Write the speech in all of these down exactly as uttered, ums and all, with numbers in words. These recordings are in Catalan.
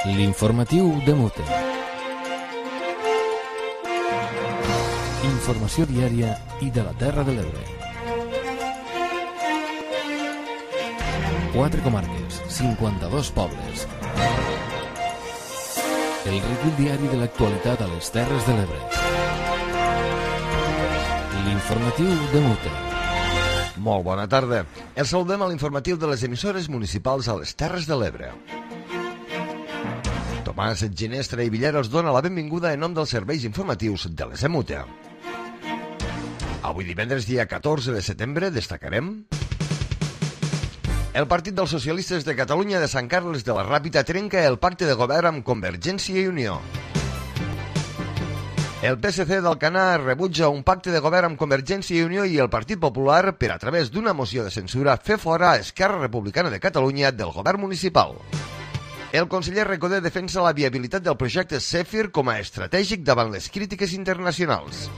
L'informatiu de Mute. Informació diària i de la Terra de l'Ebre. Quatre comarques, cinquanta-dos pobles. El recull diari de l'actualitat a les Terres de l'Ebre. L'informatiu de Mute. Molt bona tarda. Els saludem a l'informatiu de les emissores municipals a les Terres de l'Ebre. Tomàs Ginestra i Villar us dona la benvinguda en nom dels serveis informatius de les EMUTE. Avui divendres, dia catorze de setembre, destacarem... El Partit dels Socialistes de Catalunya de Sant Carles de la Ràpita trenca el pacte de govern amb Convergència i Unió. El P S C d'Alcanar rebutja un pacte de govern amb Convergència i Unió i el Partit Popular per a través d'una moció de censura fer fora a Esquerra Republicana de Catalunya del govern municipal. El conseller Recoder defensa la viabilitat del projecte Zèfir com a estratègic davant les crítiques internacionals.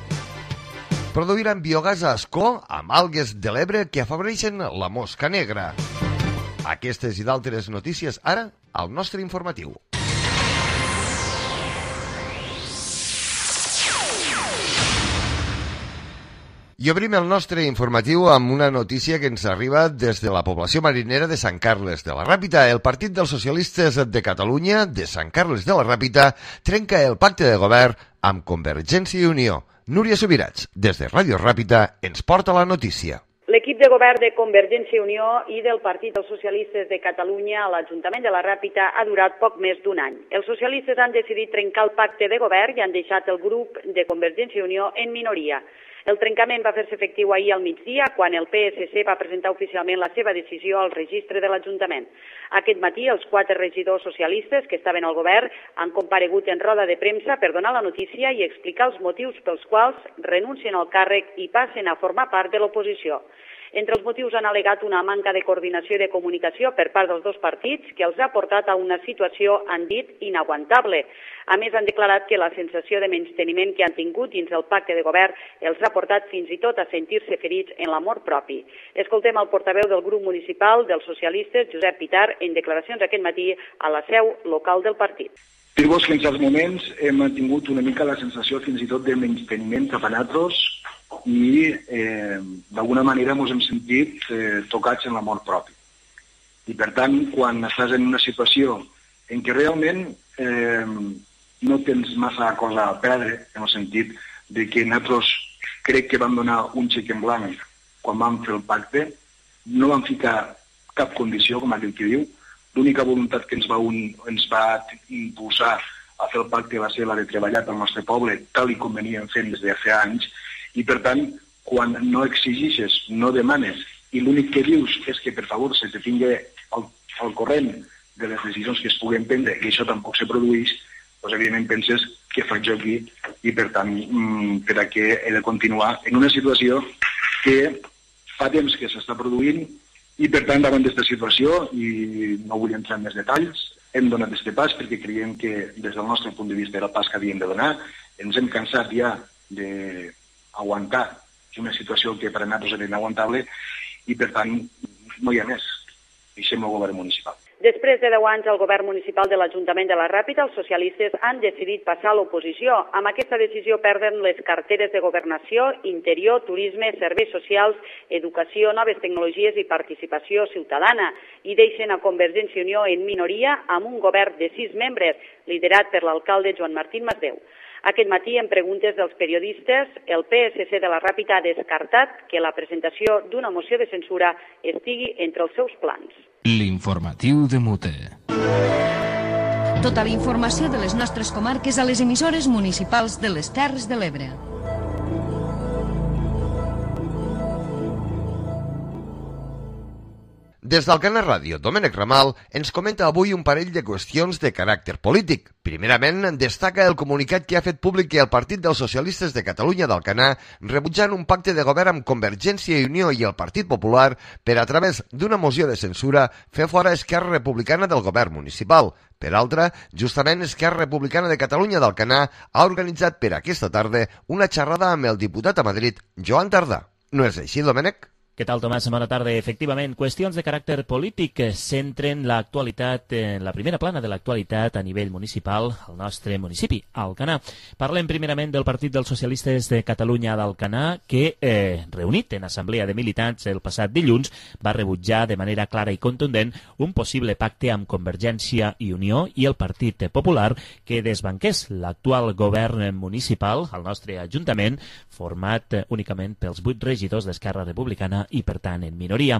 Produiran biogàs a Ascó amb algues de l'Ebre que afavoreixen la mosca negra. Aquestes i d'altres notícies ara al nostre informatiu. I obrim el nostre informatiu amb una notícia que ens arriba des de la població marinera de Sant Carles de la Ràpita. El Partit dels Socialistes de Catalunya de Sant Carles de la Ràpita trenca el pacte de govern amb Convergència i Unió. Núria Subirats, des de Ràdio Ràpita, ens porta la notícia. L'equip de govern de Convergència i Unió i del Partit dels Socialistes de Catalunya a l'Ajuntament de la Ràpita ha durat poc més d'un any. Els socialistes han decidit trencar el pacte de govern i han deixat el grup de Convergència i Unió en minoria. El trencament va fer-se efectiu ahir al migdia, quan el P S C va presentar oficialment la seva decisió al registre de l'Ajuntament. Aquest matí, els quatre regidors socialistes que estaven al govern han comparegut en roda de premsa per donar la notícia i explicar els motius pels quals renuncien al càrrec i passen a formar part de l'oposició. Entre els motius han al·legat una manca de coordinació i de comunicació per part dels dos partits que els ha portat a una situació, han dit, inaguantable. A més, han declarat que la sensació de menysteniment que han tingut dins el pacte de govern els ha portat fins i tot a sentir-se ferits en l'amor propi. Escoltem el portaveu del grup municipal dels socialistes, Josep Pitar, en declaracions aquest matí a la seu local del partit. Dir-vos que en certs moments hem tingut una mica la sensació fins i tot de menysteniment cap a nosaltres i eh, d'alguna manera ens hem sentit eh, tocats en l'amor propi. I per tant, quan estàs en una situació en què realment eh, no tens massa cosa a perdre, en el sentit de que nosaltres crec que vam donar un xec en blanc quan vam fer el pacte, no vam ficar cap condició, com aquell que diu, l'única voluntat que ens va, un, ens va impulsar a fer el pacte va ser la de treballar pel nostre poble, tal i com veníem fent des de fa anys, i per tant, quan no exigixes, no demanes, i l'únic que dius és que per favor se te tingui al, al corrent de les decisions que es puguen prendre, i això tampoc se produeix, doncs evidentment penses què faig jo aquí, i per tant, per a què he de continuar en una situació que fa temps que s'està produint, i per tant, davant d'aquesta situació, i no vull entrar en més detalls, hem donat aquest pas perquè creiem que des del nostre punt de vista era el pas que havíem de donar, ens hem cansat ja de aguantar una situació que per a nosaltres era inaguantable i, per tant, no hi ha més. Deixem el govern municipal. Després de deu anys al govern municipal de l'Ajuntament de la Ràpita, els socialistes han decidit passar a l'oposició. Amb aquesta decisió perden les carteres de governació, interior, turisme, serveis socials, educació, noves tecnologies i participació ciutadana i deixen a Convergència i Unió en minoria amb un govern de sis membres, liderat per l'alcalde Joan Martín Masdeu. Aquest matí, en preguntes dels periodistes, el P S C de la Ràpita ha descartat que la presentació d'una moció de censura estigui entre els seus plans. L'informatiu de Mute. Tota la informació de les nostres comarques a les emissores municipals de les Terres de l'Ebre. Des d'Alcanar Ràdio, Domènec Ramal ens comenta avui un parell de qüestions de caràcter polític. Primerament, destaca el comunicat que ha fet públic que el Partit dels Socialistes de Catalunya d'Alcanar rebutjant un pacte de govern amb Convergència i Unió i el Partit Popular per a través d'una moció de censura fer fora Esquerra Republicana del govern municipal. Per altra, justament Esquerra Republicana de Catalunya d'Alcanar ha organitzat per aquesta tarda una xerrada amb el diputat a Madrid, Joan Tardà. No és així, Domènec? Què tal, Tomàs? Bona tarda. Efectivament, qüestions de caràcter polític centren l'actualitat, en la primera plana de l'actualitat a nivell municipal al nostre municipi, Alcanar. Parlem primerament del Partit dels Socialistes de Catalunya d'Alcanar, que, eh, reunit en assemblea de militants el passat dilluns, va rebutjar de manera clara i contundent un possible pacte amb Convergència i Unió i el Partit Popular que desbanqués l'actual govern municipal al nostre Ajuntament, format únicament pels vuit regidors d'Esquerra Republicana i, per tant, en minoria.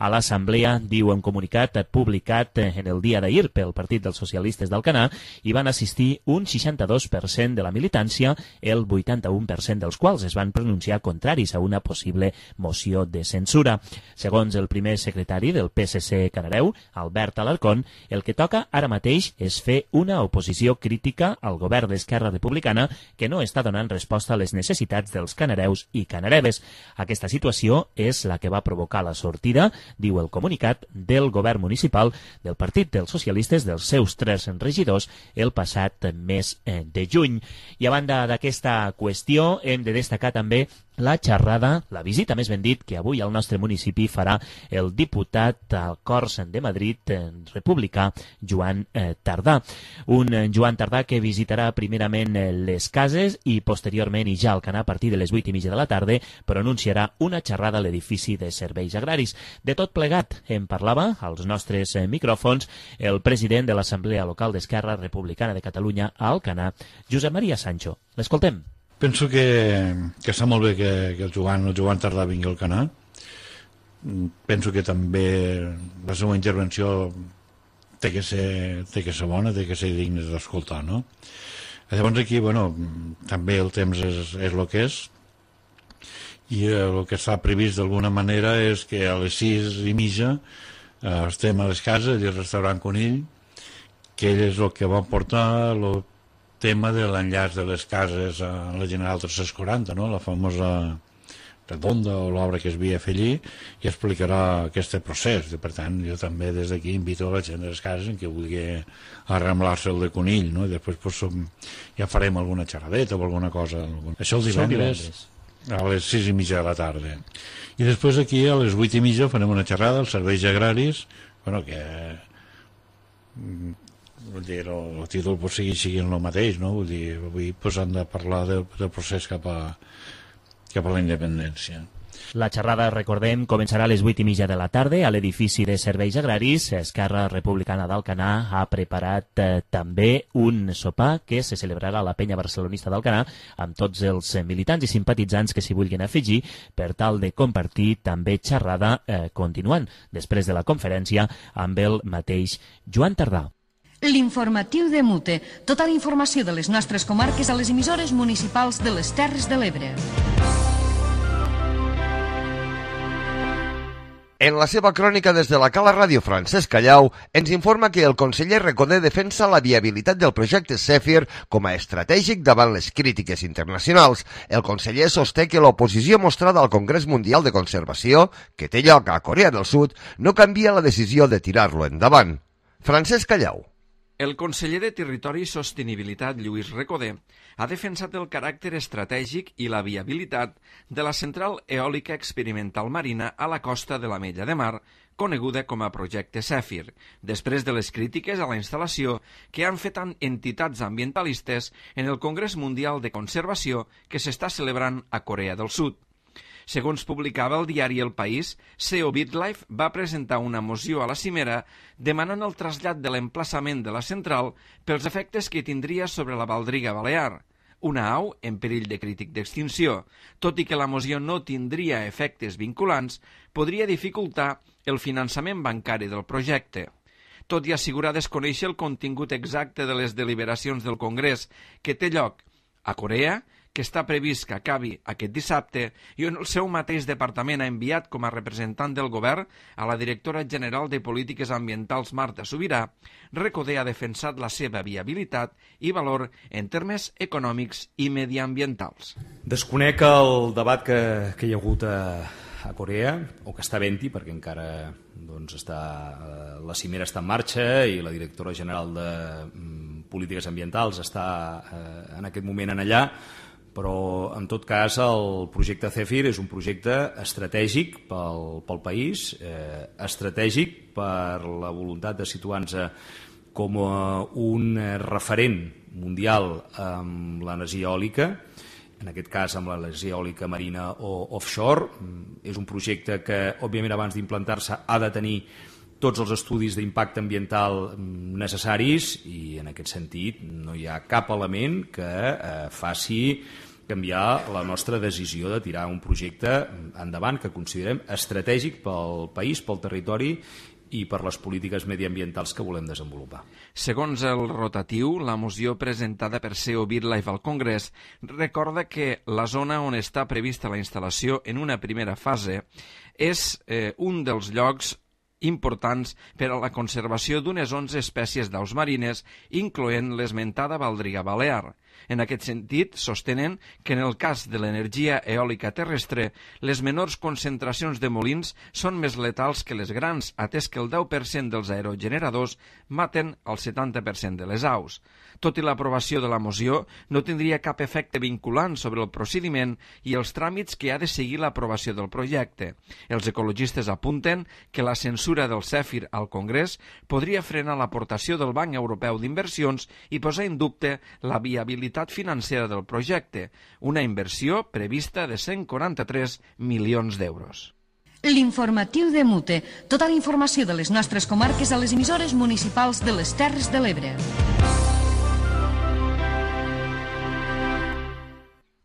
A l'Assemblea, diu un comunicat publicat en el dia d'ahir pel Partit dels Socialistes d'Alcanar, hi van assistir un seixanta-dos per cent de la militància, el vuitanta-u per cent dels quals es van pronunciar contraris a una possible moció de censura. Segons el primer secretari del P S C Canareu, Albert Alarcón, el que toca ara mateix és fer una oposició crítica al govern d'Esquerra Republicana que no està donant resposta a les necessitats dels canareus i canareves. Aquesta situació és la que va provocar la sortida, diu el comunicat, del govern municipal del Partit dels Socialistes dels seus tres regidors el passat mes de juny. I a banda d'aquesta qüestió, hem de destacar també la xerrada, la visita més ben dit, que avui al nostre municipi farà el diputat al Corts de Madrid republicà Joan eh, Tardà. Un eh, Joan Tardà que visitarà primerament eh, les cases i posteriorment i ja al Alcanar a partir de les vuit i mitja de la tarda pronunciarà una xerrada a l'edifici de serveis agraris. De tot plegat en parlava als nostres eh, micròfons el president de l'Assemblea Local d'Esquerra Republicana de Catalunya a Alcanar, Josep Maria Sancho. L'escoltem. Penso que, que està molt bé que, que el Joan, el Joan Tardà vingui al Alcanar. Penso que també la seva intervenció té que ser, té que ser bona, té que ser digna d'escoltar, no? Llavors aquí, bueno, també el temps és, és el que és, i el que està previst d'alguna manera és que a les sis i mitja eh, estem a les cases i al restaurant Conill, que ell és el que va portar el tema de l'enllaç de les cases a la General tres-cents quaranta, no? La famosa redonda o l'obra que es havia a fer allí, i explicarà aquest procés. I, per tant, jo també des d'aquí invito a la gent de les cases en què vulgui arramblar-se el de Conill, no? I després pues, ja farem alguna xerradeta o alguna cosa. Això el divendres a les sis i mitja de la tarda. I després aquí a les vuit i mitja farem una xerrada als serveis agraris, bueno, que vull dir, el, el títol pot seguir siguin el mateix, no? Vull dir, avui pues, han de parlar del, del procés cap a, cap a la independència. La xerrada, recordem, començarà a les vuit i mitja de la tarda a l'edifici de serveis agraris. Esquerra Republicana d'Alcanar ha preparat eh, també un sopar que se celebrarà a la penya barcelonista d'Alcanar amb tots els militants i simpatitzants que s'hi vulguin afegir per tal de compartir també xerrada eh, continuant després de la conferència amb el mateix Joan Tardà. L'informatiu de Mute. Tota la informació de les nostres comarques a les emissores municipals de les Terres de l'Ebre. En la seva crònica des de la Cala Ràdio, Francesc Callau ens informa que el conseller Recoder defensa la viabilitat del projecte Zèfir com a estratègic davant les crítiques internacionals. El conseller sosté que l'oposició mostrada al Congrés Mundial de Conservació, que té lloc a Corea del Sud, no canvia la decisió de tirar-lo endavant. Francesc Callau. El conseller de Territori i Sostenibilitat, Lluís Recoder, ha defensat el caràcter estratègic i la viabilitat de la central eòlica experimental marina a la costa de l'Ametlla de Mar, coneguda com a projecte Zèfir, després de les crítiques a la instal·lació que han fet entitats ambientalistes en el Congrés Mundial de Conservació que s'està celebrant a Corea del Sud. Segons publicava el diari El País, C E O BitLife va presentar una moció a la cimera demanant el trasllat de l'emplaçament de la central pels efectes que tindria sobre la baldriga balear, una au en perill de crític d'extinció. Tot i que la moció no tindria efectes vinculants, podria dificultar el finançament bancari del projecte. Tot i assegurar desconèixer el contingut exacte de les deliberacions del Congrés que té lloc a Corea, que està previst que acabi aquest dissabte, i on el seu mateix departament ha enviat com a representant del govern a la directora general de Polítiques Ambientals Marta Subirà, Recoder ha defensat la seva viabilitat i valor en termes econòmics i mediambientals. Desconec el debat que, que hi ha hagut a, a Corea, o que està havent-hi, perquè encara doncs, està, la cimera està en marxa i la directora general de Polítiques Ambientals està eh, en aquest moment en allà, Però, en tot cas, el projecte Zèfir és un projecte estratègic pel, pel país, eh, estratègic per la voluntat de situar-nos com un referent mundial amb l'energia eòlica, en aquest cas amb l'energia eòlica marina o offshore. És un projecte que, òbviament, abans d'implantar-se ha de tenir tots els estudis d'impacte ambiental necessaris i, en aquest sentit, no hi ha cap element que eh, faci canviar la nostra decisió de tirar un projecte endavant que considerem estratègic pel país, pel territori i per les polítiques mediambientals que volem desenvolupar. Segons el rotatiu, la moció presentada per C E O BirdLife al Congrés recorda que la zona on està prevista la instal·lació en una primera fase és eh, un dels llocs importants per a la conservació d'unes onze espècies d'aus marines, incloent l'esmentada baldriga balear. En aquest sentit, sostenen que en el cas de l'energia eòlica terrestre, les menors concentracions de molins són més letals que les grans, atès que el deu per cent dels aerogeneradors maten el setanta per cent de les aus. Tot i l'aprovació de la moció, no tindria cap efecte vinculant sobre el procediment i els tràmits que ha de seguir l'aprovació del projecte. Els ecologistes apunten que la censura del Zèfir al Congrés podria frenar l'aportació del Banc Europeu d'Inversions i posar en dubte la viabilitat financera del projecte, una inversió prevista de cent quaranta-tres milions d'euros. L'informatiu de Mute. Tota la informació de les nostres comarques a les emissores municipals de les Terres de l'Ebre.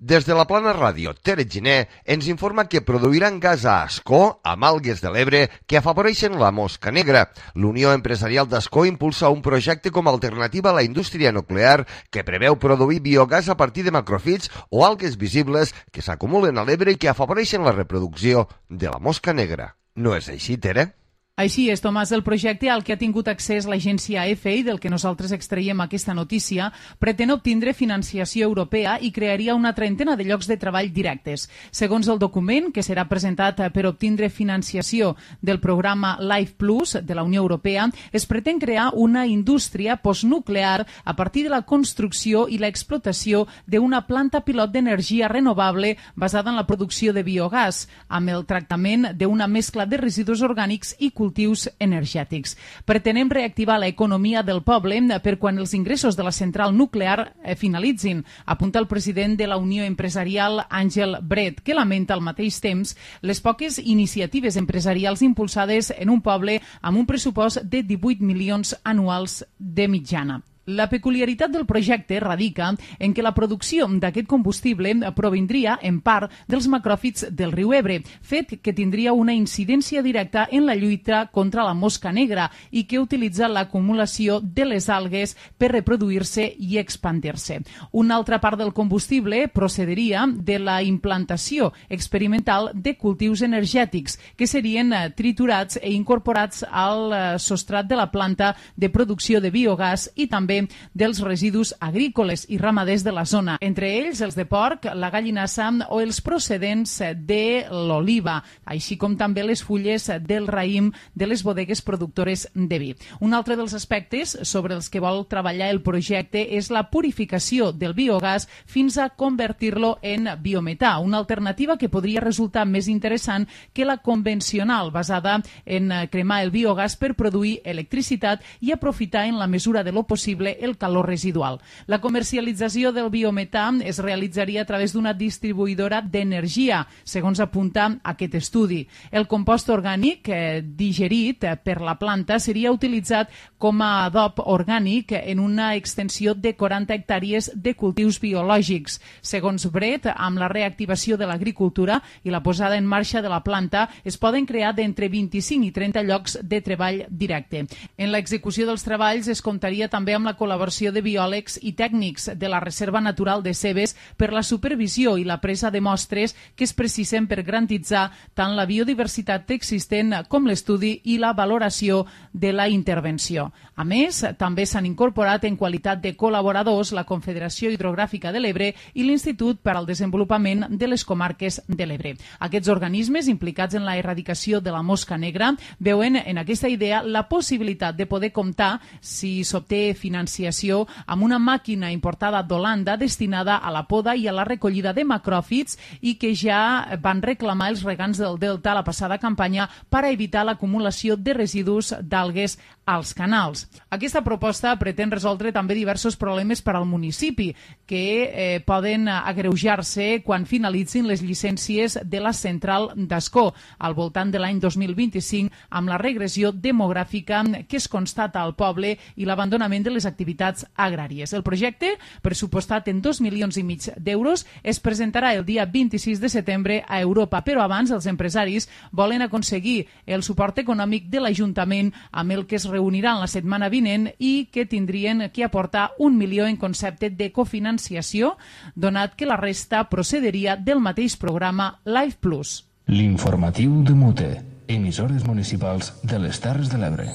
Des de la Plana Ràdio, Tere Giner ens informa que produiran gas a Ascó amb algues de l'Ebre que afavoreixen la mosca negra. L'Unió Empresarial d'Ascó impulsa un projecte com a alternativa a la indústria nuclear que preveu produir biogàs a partir de macrofits o algues visibles que s'acumulen a l'Ebre i que afavoreixen la reproducció de la mosca negra. No és així, Tere? Així és, Tomàs, el projecte al que ha tingut accés l'agència A F I, del que nosaltres extraiem aquesta notícia, pretén obtindre financiació europea i crearia una trentena de llocs de treball directes. Segons el document, que serà presentat per obtindre financiació del programa Life Plus de la Unió Europea, es pretén crear una indústria postnuclear a partir de la construcció i l'explotació d'una planta pilot d'energia renovable basada en la producció de biogàs, amb el tractament d'una mescla de residus orgànics i cultius cultius energètics. Pretenem reactivar l'economia del poble per quan els ingressos de la central nuclear finalitzin, apunta el president de la Unió Empresarial, Àngel Bret, que lamenta al mateix temps les poques iniciatives empresarials impulsades en un poble amb un pressupost de divuit milions anuals de mitjana. La peculiaritat del projecte radica en què la producció d'aquest combustible provindria, en part, dels macròfits del riu Ebre, fet que tindria una incidència directa en la lluita contra la mosca negra i que utilitza l'acumulació de les algues per reproduir-se i expandir-se. Una altra part del combustible procediria de la implantació experimental de cultius energètics que serien triturats i incorporats al substrat de la planta de producció de biogàs i també dels residus agrícoles i ramaders de la zona, entre ells els de porc, la gallinassa o els procedents de l'oliva, així com també les fulles del raïm de les bodegues productores de vi. Un altre dels aspectes sobre els que vol treballar el projecte és la purificació del biogàs fins a convertir-lo en biometà, una alternativa que podria resultar més interessant que la convencional, basada en cremar el biogàs per produir electricitat i aprofitar en la mesura de lo possible el calor residual. La comercialització del biometà es realitzaria a través d'una distribuïdora d'energia, segons apunta aquest estudi. El compost orgànic eh, digerit per la planta seria utilitzat com a adob orgànic en una extensió de quaranta hectàrees de cultius biològics. Segons Bret, amb la reactivació de l'agricultura i la posada en marxa de la planta, es poden crear d'entre vint-i-cinc i trenta llocs de treball directe. En l'execució dels treballs es comptaria també amb la col·laboració de biòlegs i tècnics de la Reserva Natural de Cebes per la supervisió i la presa de mostres que es precisen per garantitzar tant la biodiversitat existent com l'estudi i la valoració de la intervenció. A més, també s'han incorporat en qualitat de col·laboradors la Confederació Hidrogràfica de l'Ebre i l'Institut per al Desenvolupament de les Comarques de l'Ebre. Aquests organismes implicats en la erradicació de la mosca negra veuen en aquesta idea la possibilitat de poder comptar, si s'obté finançament financiació amb una màquina importada d'Holanda destinada a la poda i a la recollida de macròfits i que ja van reclamar els regants del Delta a la passada campanya per a evitar l'acumulació de residus d'algues als canals. Aquesta proposta pretén resoldre també diversos problemes per al municipi que eh, poden agreujar-se quan finalitzin les llicències de la central d'Ascó al voltant de l'any dos mil vint-i-cinc amb la regressió demogràfica que es constata al poble i l'abandonament de les activitats agràries. El projecte, pressupostat en dos milions i mig d'euros, es presentarà el dia vint-i-sis de setembre a Europa, però abans els empresaris volen aconseguir el suport econòmic de l'Ajuntament amb el que es reuniran la setmana vinent i que tindrien que aportar un milió en concepte de cofinanciació, donat que la resta procederia del mateix programa Life Plus. L'informatiu de Mute, emissores municipals de les Terres de l'Ebre.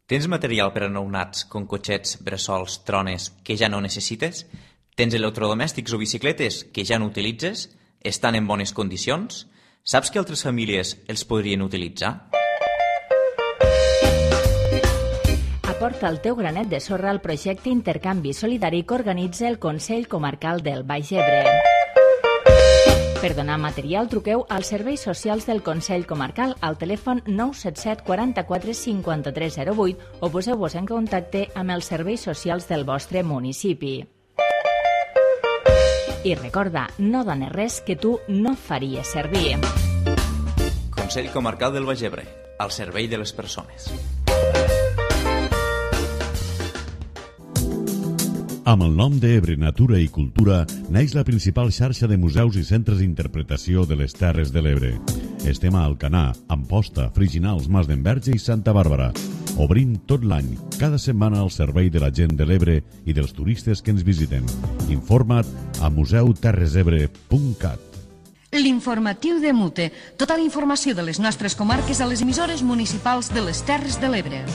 Tens material per a nounats com cotxets, bressols, trones que ja no necessites? Tens electrodomèstics o bicicletes que ja no utilitzes? Estan en bones condicions? Saps que altres famílies els podrien utilitzar? Aporta el teu granet de sorra al projecte Intercanvi Solidari que organitza el Consell Comarcal del Baix Ebre. Per donar material, truqueu als serveis socials del Consell Comarcal al telèfon nou set set quaranta-quatre cinquanta-tres zero vuit o poseu-vos en contacte amb els serveis socials del vostre municipi. I recorda, no dones res que tu no faries servir. Consell Comarcal del Baix Ebre, al servei de les persones. Amb el nom d'Ebre Natura i Cultura neix la principal xarxa de museus i centres d'interpretació de les Terres de l'Ebre. Estem a Alcanar, Amposta, Friginals, Mas d'Enverge i Santa Bàrbara. Obrim tot l'any, cada setmana al servei de la gent de l'Ebre i dels turistes que ens visiten. Informa't a museu terres ebre punt cat. L'informatiu de Mute. Tota la informació de les nostres comarques a les emissores municipals de les Terres de l'Ebre.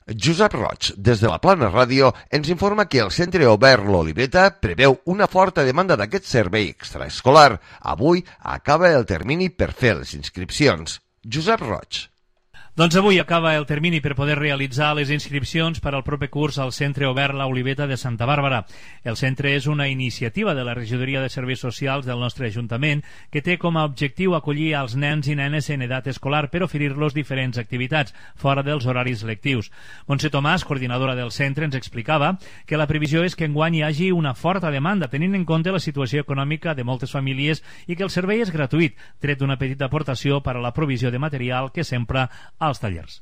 Josep Roig, des de la Plana Ràdio, ens informa que el Centre Obert L'Oliveta preveu una forta demanda d'aquest servei extraescolar. Avui acaba el termini per fer les inscripcions. Josep Roig. Doncs avui acaba el termini per poder realitzar les inscripcions per al proper curs al Centre Obert La Oliveta de Santa Bàrbara. El centre és una iniciativa de la Regidoria de Serveis Socials del nostre Ajuntament que té com a objectiu acollir als nens i nenes en edat escolar per oferir-los diferents activitats fora dels horaris lectius. Montse Tomàs, coordinadora del centre, ens explicava que la previsió és que enguany hi hagi una forta demanda tenint en compte la situació econòmica de moltes famílies i que el servei és gratuït, tret d'una petita aportació per a la provisió de material que s'empra als tallers.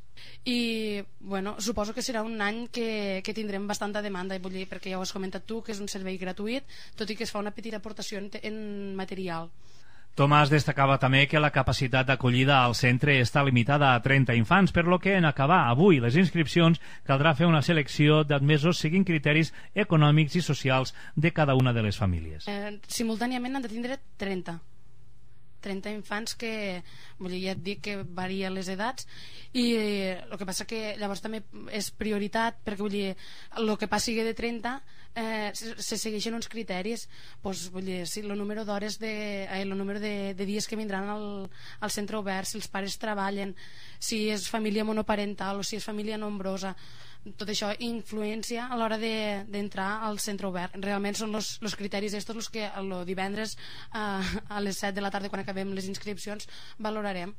I bueno, suposo que serà un any que, que tindrem bastanta demanda, vull dir, perquè ja ho has comentat tu, que és un servei gratuït, tot i que es fa una petita aportació en, en material. Tomàs destacava també que la capacitat d'acollida al centre està limitada a trenta infants, per lo que en acabar avui les inscripcions caldrà fer una selecció d'admesos seguint criteris econòmics i socials de cada una de les famílies. Eh, simultàniament han de tindre trenta. trenta infants que, vull dir, ja et dic que varia les edats i eh, el que passa que llavors també és prioritat perquè, vull dir, el que passi de trenta eh, se, se segueixen uns criteris, doncs, vull dir, si el número d'hores de, eh, el número de, de dies que vindran al, al centre obert, si els pares treballen, si és família monoparental o si és família nombrosa, tot això influència a l'hora d'entrar de, al centre obert. Realment són els criteris estos els que el divendres a, a les set de la tarda, quan acabem les inscripcions, valorarem.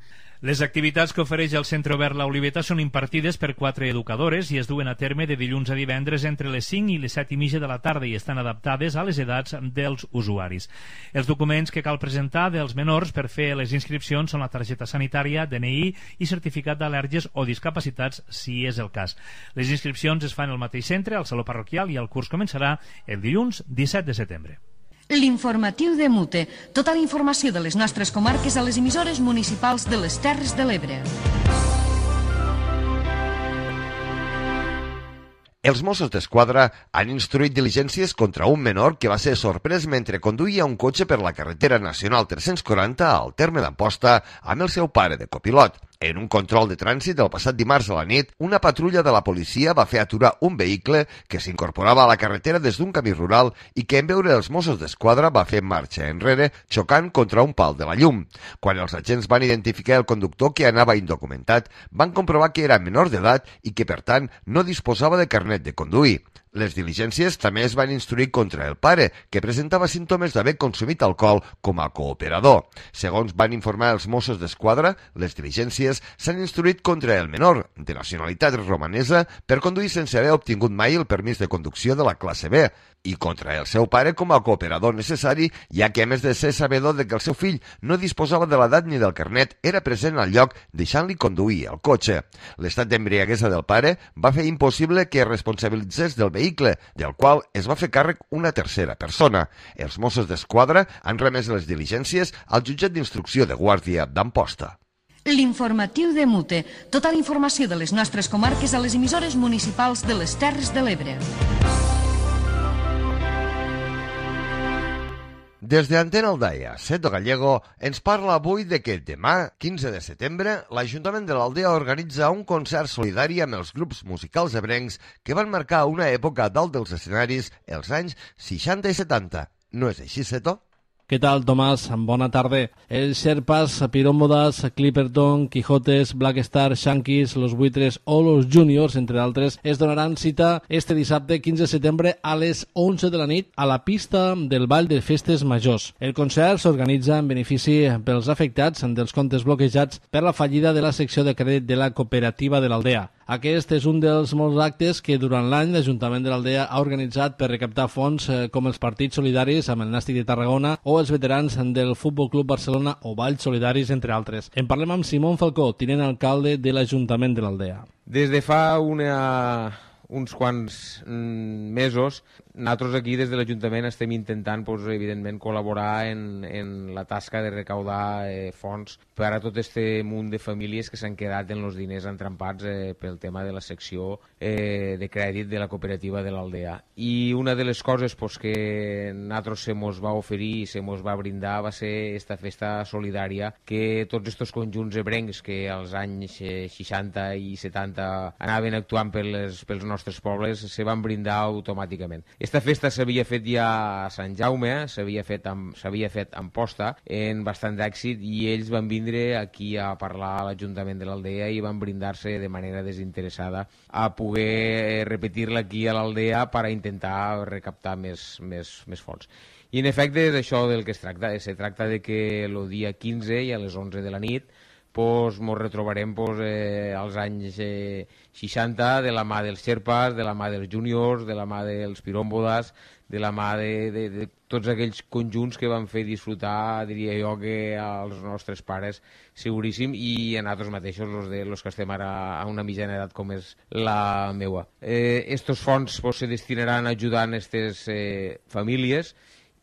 Les activitats que ofereix el Centre Obert La Oliveta són impartides per quatre educadores i es duen a terme de dilluns a divendres entre les cinc i les set i mitja de la tarda i estan adaptades a les edats dels usuaris. Els documents que cal presentar dels menors per fer les inscripcions són la targeta sanitària, D N I i certificat d'al·lèrgies o discapacitats, si és el cas. Les inscripcions es fan al mateix centre, al Saló Parroquial, i el curs començarà el dilluns disset de setembre. L'informatiu de Mute. Tota la informació de les nostres comarques a les emissores municipals de les Terres de l'Ebre. Els Mossos d'Esquadra han instruït diligències contra un menor que va ser sorprès mentre conduïa un cotxe per la carretera nacional tres-cents quaranta al terme d'Amposta amb el seu pare de copilot. En un control de trànsit el passat dimarts a la nit, una patrulla de la policia va fer aturar un vehicle que s'incorporava a la carretera des d'un camí rural i que en veure els Mossos d'Esquadra va fer marxa enrere xocant contra un pal de la llum. Quan els agents van identificar el conductor que anava indocumentat, van comprovar que era menor d'edat i que, per tant, no disposava de carnet de conduir. Les diligències també es van instruir contra el pare, que presentava símptomes d'haver consumit alcohol com a cooperador. Segons van informar els Mossos d'Esquadra, les diligències s'han instruït contra el menor, de nacionalitat romanesa, per conduir sense haver obtingut mai el permís de conducció de la classe B, i contra el seu pare com a cooperador necessari, ja que a més de ser sabedor de que el seu fill no disposava de l'edat ni del carnet, era present al lloc deixant-li conduir el cotxe. L'estat d'embriaguesa del pare va fer impossible que es responsabilitzés del vehicle, del qual es va fer càrrec una tercera persona. Els Mossos d'Esquadra han remès les diligències al jutjat d'instrucció de Guàrdia d'Amposta. L'informatiu de Mute. Tota la informació de les nostres comarques a les emissores municipals de les Terres de l'Ebre. Des de Antena Aldaia, Seto Gallego ens parla avui de que demà, quinze de setembre, l'Ajuntament de l'Aldea organitza un concert solidari amb els grups musicals ebrencs que van marcar una època dalt dels escenaris els anys seixanta i setanta. No és així, Seto? Què tal, Tomàs? Bona tarda. Els Sherpas, Pirómbodas, Clipperton, Quijotes, Black Star, Shankies, Los Buitres o Los Juniors, entre altres, es donaran cita este dissabte quinze de setembre a les onze de la nit a la pista del Ball de Festes Majors. El concert s'organitza en benefici pels afectats dels comptes bloquejats per la fallida de la secció de crèdit de la cooperativa de l'Aldea. Aquest és un dels molts actes que durant l'any l'Ajuntament de l'Aldea ha organitzat per recaptar fons eh, com els partits solidaris amb el Nàstic de Tarragona o els veterans del Futbol Club Barcelona o Valls Solidaris, entre altres. En parlem amb Simón Falcó, tinent alcalde de l'Ajuntament de l'Aldea. Des de fa una, uns quants mm, mesos, nosaltres aquí des de l'Ajuntament estem intentant, pues, evidentment, col·laborar en, en la tasca de recaudar eh, fons per a tot este munt de famílies que s'han quedat en els diners entrampats eh, pel tema de la secció eh, de crèdit de la cooperativa de l'Aldea. I una de les coses pues, que nosaltres se mos va oferir i se mos va brindar va ser esta festa solidària que tots estos conjunts ebrencs que als anys eh, seixanta i setanta anaven actuant pels, pels nostres pobles se van brindar automàticament. Esta festa s'havia fet ja a Sant Jaume, s'havia fet amb, s'havia fet amb posta, en bastant d'èxit, i ells van vindre aquí a parlar a l'Ajuntament de l'Aldea i van brindar-se de manera desinteressada a poder repetir-la aquí a l'Aldea per a intentar recaptar més, més, més fons. I en efecte és això del que es tracta, se tracta de que el dia quinze i a les onze de la nit pues, mos retrobarem pues, eh, als anys eh, seixanta de la mà dels Sherpas, de la mà dels Juniors, de la mà dels Pirómbodas, de la mà de, de, de tots aquells conjunts que van fer disfrutar, diria jo, que als nostres pares seguríssim, i a nosaltres mateixos, los, de, los que estem ara a una mitjana edat com és la meua. Eh, estos fons pues, se destinaran a ajudar a aquestes eh, famílies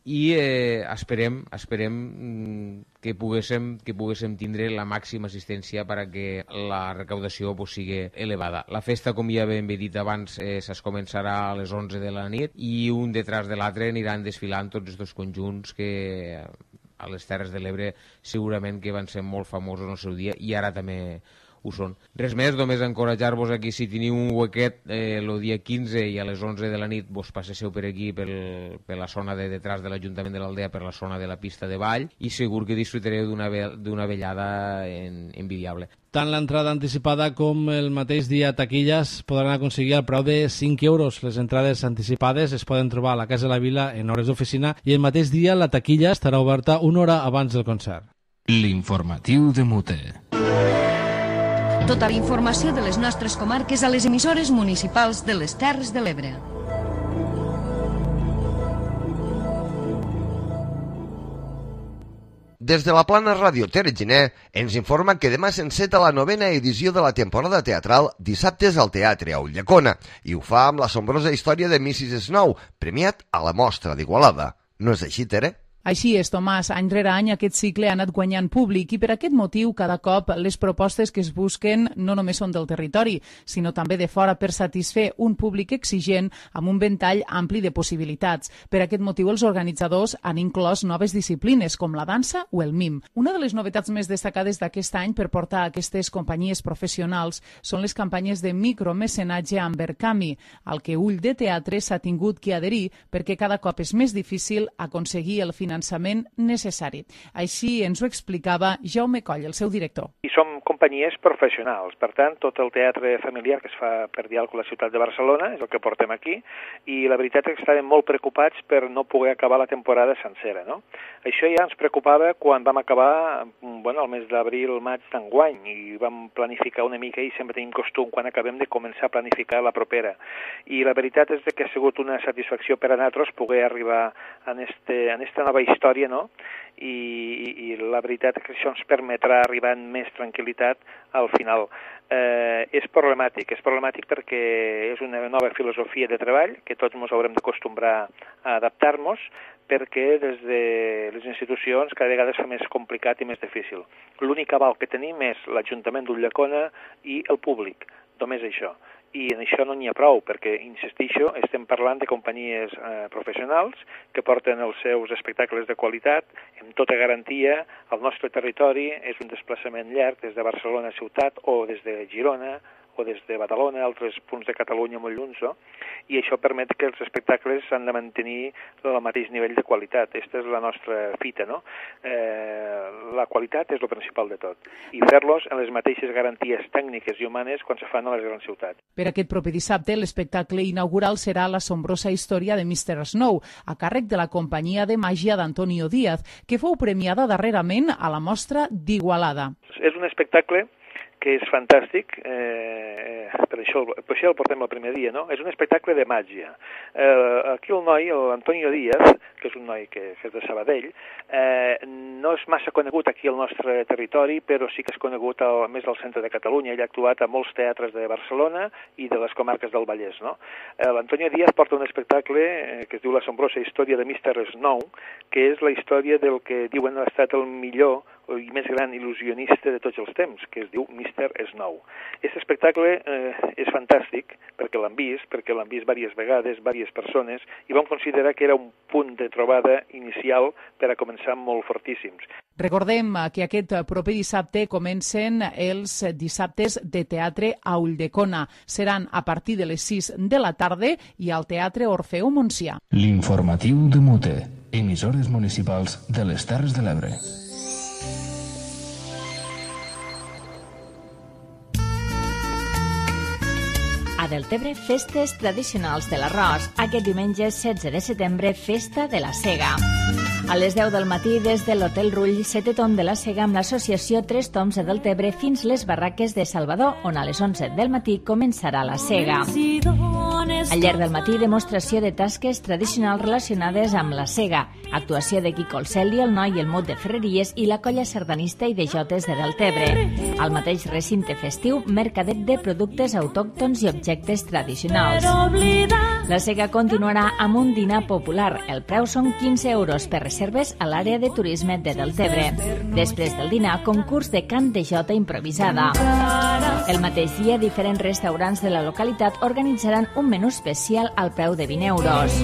i eh, esperem, esperem que poguéssim, que poguéssim tindre la màxima assistència per a que la recaudació pues, sigui elevada. La festa, com ja ben dit abans, eh, es començarà a les onze de la nit i un detrás de l'altre aniran desfilant tots aquests conjunts que a les Terres de l'Ebre segurament que van ser molt famosos en el seu dia i ara també ho són. Res més, només encoratjar-vos aquí, si teniu un huequet eh, el dia quinze i a les onze de la nit vos passeu per aquí, pel, per la zona de detrás de l'Ajuntament de l'Aldea, per la zona de la pista de ball, i segur que disfrutareu d'una vellada en, envidiable. Tant l'entrada anticipada com el mateix dia a taquilles podran aconseguir al preu de cinc euros. Les entrades anticipades es poden trobar a la Casa de la Vila en hores d'oficina i el mateix dia la taquilla estarà oberta una hora abans del concert. L'informatiu de Mute. Tota la informació de les nostres comarques a les emissores municipals de les Terres de l'Ebre. Des de la Plana Ràdio Tere Giner ens informa que demà s'enceta la novena edició de la temporada teatral Dissabtes al Teatre a Ulldecona i ho fa amb l'assombrosa història de missis Snow, premiat a la Mostra d'Igualada. No és així, Tere? Així és, Tomàs, any rere any aquest cicle ha anat guanyant públic i per aquest motiu cada cop les propostes que es busquen no només són del territori, sinó també de fora per satisfer un públic exigent amb un ventall ampli de possibilitats. Per aquest motiu els organitzadors han inclòs noves disciplines com la dansa o el mim. Una de les novetats més destacades d'aquest any per portar a aquestes companyies professionals són les campanyes de micromecenatge amb Verkami, al que Ull de Teatre s'ha tingut que adherir perquè cada cop és més difícil aconseguir el finançament finançament necessari. Així ens ho explicava Jaume Coll, el seu director. I som companyies professionals, per tant, tot el teatre familiar que es fa per diàleg a la ciutat de Barcelona és el que portem aquí, i la veritat és que estàvem molt preocupats per no poder acabar la temporada sencera, no? Això ja ens preocupava quan vam acabar, bueno, el mes d'abril, maig d'enguany, i vam planificar una mica, i sempre tenim costum quan acabem de començar a planificar la propera. I la veritat és que ha sigut una satisfacció per a nosaltres poder arribar en, este, en esta nova història, no? I, i, i la veritat és que això ens permetrà arribar amb més tranquil·litat al final. Eh, és problemàtic, és problemàtic perquè és una nova filosofia de treball que tots ens haurem d'acostumbrar a adaptar-nos, perquè des de les institucions cada vegada és més complicat i més difícil. L'únic aval que tenim és l'Ajuntament d'Ulldecona i el públic, només això. I en això no n'hi ha prou, perquè, insistixo, estem parlant de companyies eh, professionals que porten els seus espectacles de qualitat amb tota garantia al nostre territori. És un desplaçament llarg des de Barcelona a ciutat o des de Girona o des de Badalona, altres punts de Catalunya molt lluny, no? I això permet que els espectacles s'han de mantenir al mateix nivell de qualitat. Aquesta és la nostra fita, no? Eh, la qualitat és el principal de tot. I fer-los en les mateixes garanties tècniques i humanes quan se fan a les grans ciutats. Per aquest proper dissabte, l'espectacle inaugural serà l'assombrosa història de mister Snow, a càrrec de la companyia de màgia d'Antonio Díaz, que fou premiada darrerament a la mostra d'Igualada. És un espectacle que és fantàstic, eh, per, això, per això el portem el primer dia, no? És un espectacle de màgia. Eh, aquí el noi, l'Antonio Díaz, que és un noi que, que és de Sabadell, eh, no és massa conegut aquí al nostre territori, però sí que és conegut al, més al centre de Catalunya. Ell ha actuat a molts teatres de Barcelona i de les comarques del Vallès, no? Eh, L'Antonio Díaz porta un espectacle eh, que es diu l'assombrosa història de mister Snow, que és la història del que diuen ha estat el millor i més gran il·lusionista de tots els temps, que es diu mister Snow. Aquest espectacle eh, és fantàstic perquè l'han vist, perquè l'han vist diverses vegades, diverses persones, i vam considerar que era un punt de trobada inicial per a començar molt fortíssims. Recordem que aquest proper dissabte comencen els dissabtes de teatre a Ulldecona. Seran a partir de les sis de la tarda i al Teatre Orfeo Montsià. L'informatiu de Mute, emissores municipals de les Terres de l'Ebre. A Deltebre, festes tradicionals de l'arròs. Aquest diumenge setze de setembre, festa de la sega. A les deu del matí, des de l'Hotel Rull, setè tom de la sega amb l'associació Tres Toms de Deltebre fins les barraques de Salvador, on a les onze del matí començarà la sega. Al llarg del matí, demostració de tasques tradicionals relacionades amb la sega, actuació de Quico el Celi, el Noi i el Mot de Ferreries i la colla sardanista i de jotes de Deltebre. Al mateix recinte festiu, mercadet de productes autòctons i objectes tradicionals. La sega continuarà amb un dinar popular. El preu són quinze euros per reserves a l'àrea de turisme de Deltebre. Després del dinar, concurs de cant de jota improvisada. El mateix dia, diferents restaurants de la localitat organitzaran un menú especial al preu de vint euros.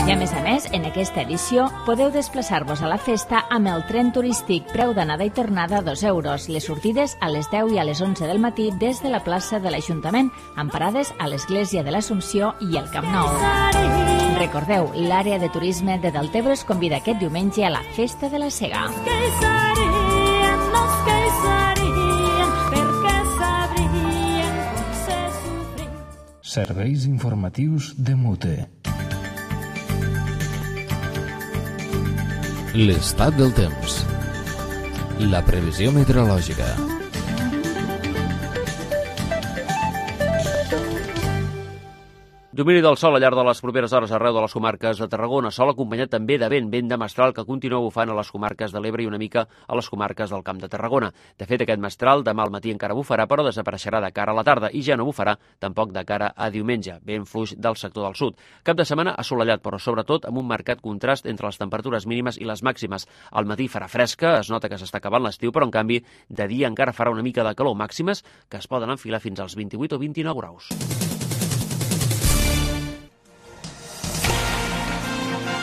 I a més a més, en aquesta edició podeu desplaçar-vos a la festa amb el tren turístic, preu d'anada i tornada dos euros. Les sortides a les deu i a les onze del matí des de la plaça de l'Ajuntament, amb parades a l'Església de l'Assumpció i el Camp Nou. Recordeu, l'àrea de turisme de Deltebre us convida aquest diumenge a la Festa de la Sega. Serveis informatius de Mute. L'estat del temps. La previsió meteorològica. Domini del sol al llarg de les properes hores arreu de les comarques de Tarragona, sol acompanyat també de vent, vent de mestral que continua bufant a les comarques de l'Ebre i una mica a les comarques del Camp de Tarragona. De fet, aquest mestral demà al matí encara bufarà, però desapareixerà de cara a la tarda i ja no bufarà tampoc de cara a diumenge, vent fluix del sector del sud. Cap de setmana assolellat, però sobretot amb un marcat contrast entre les temperatures mínimes i les màximes. Al matí farà fresca, es nota que s'està acabant l'estiu, però en canvi de dia encara farà una mica de calor, màximes que es poden enfilar fins als vint-i-vuit o vint-i-nou graus.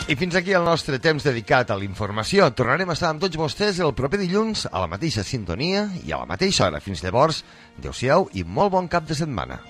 I fins aquí el nostre temps dedicat a la informació. Tornarem a estar amb tots vostès el proper dilluns a la mateixa sintonia i a la mateixa hora. Fins llavors, adeu-siau i molt bon cap de setmana.